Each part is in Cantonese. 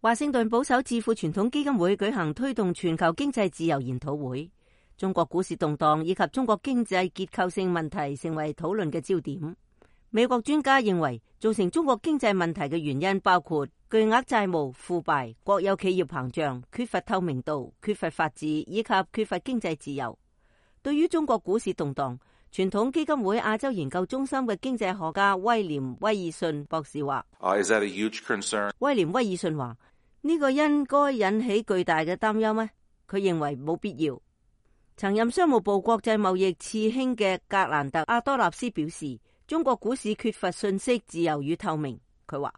華盛頓保守智庫傳統基金會舉行推動全球經濟自由研討會，中國股市動盪以及中國經濟結構性問題成為討論嘅焦點。美國專家認為，造成中國經濟問題嘅原因包括巨額債務、腐敗、國有企業膨脹、缺乏透明度、缺乏法治以及缺乏經濟自由。對於中國股市動盪，傳統基金會亞洲研究中心嘅經濟學家威廉·威爾遜博士話：威廉·威爾遜話，呢個應該引起巨大嘅擔憂咩？佢認為冇必要。曾任商務部國際貿易次卿嘅格蘭特·阿多納斯表示，中國股市缺乏信息自由與透明。佢話，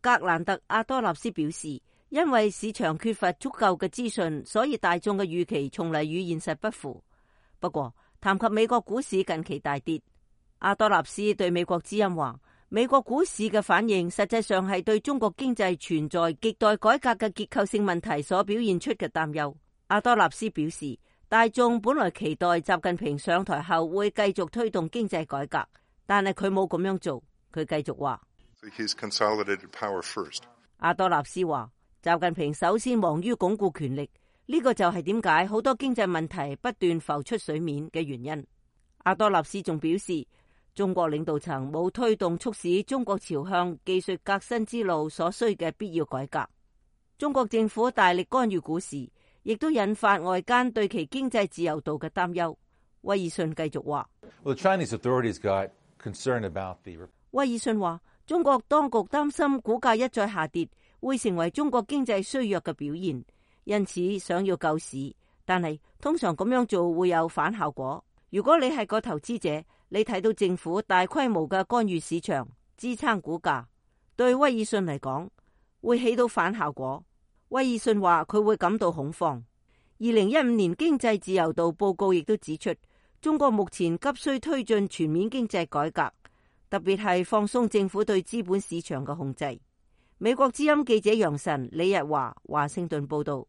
格蘭特·阿多納斯表示，因為市場缺乏足夠嘅資訊，所以大眾嘅預期從嚟與現實不符。不過，談及美國股市近期大跌，阿多納斯對美國之音話，美國股市嘅反應實際上係對中國經濟存在亟待改革嘅結構性問題所表現出嘅擔憂。阿多納斯表示，大眾本來期待習近平上台後會繼續推動經濟改革，但係佢冇咁樣做。佢繼續話，阿多納斯話，習近平首先忙於鞏固權力。呢個就係點解好多經濟問題不斷浮出水面嘅原因。阿多納斯仲表示，中國領導層冇推動促使中國朝向技術革新之路所需嘅必要改革。中國政府大力干預股市，亦都引發外間對其經濟自由度嘅擔憂。威爾遜繼續話，威爾遜話，中國當局擔心股價一再下跌，會成為中國經濟衰弱嘅表現。因此想要救市，但係通常咁樣做會有反效果。如果你係個投資者，你睇到政府大規模嘅干預市場，支撐股價，對威爾遜嚟講會起到反效果。威爾遜話佢會感到恐慌。2015年經濟自由度報告亦都指出，中國目前急需推進全面經濟改革，特別係放鬆政府對資本市場嘅控制。美國之音記者楊晨、李日華華盛頓報道。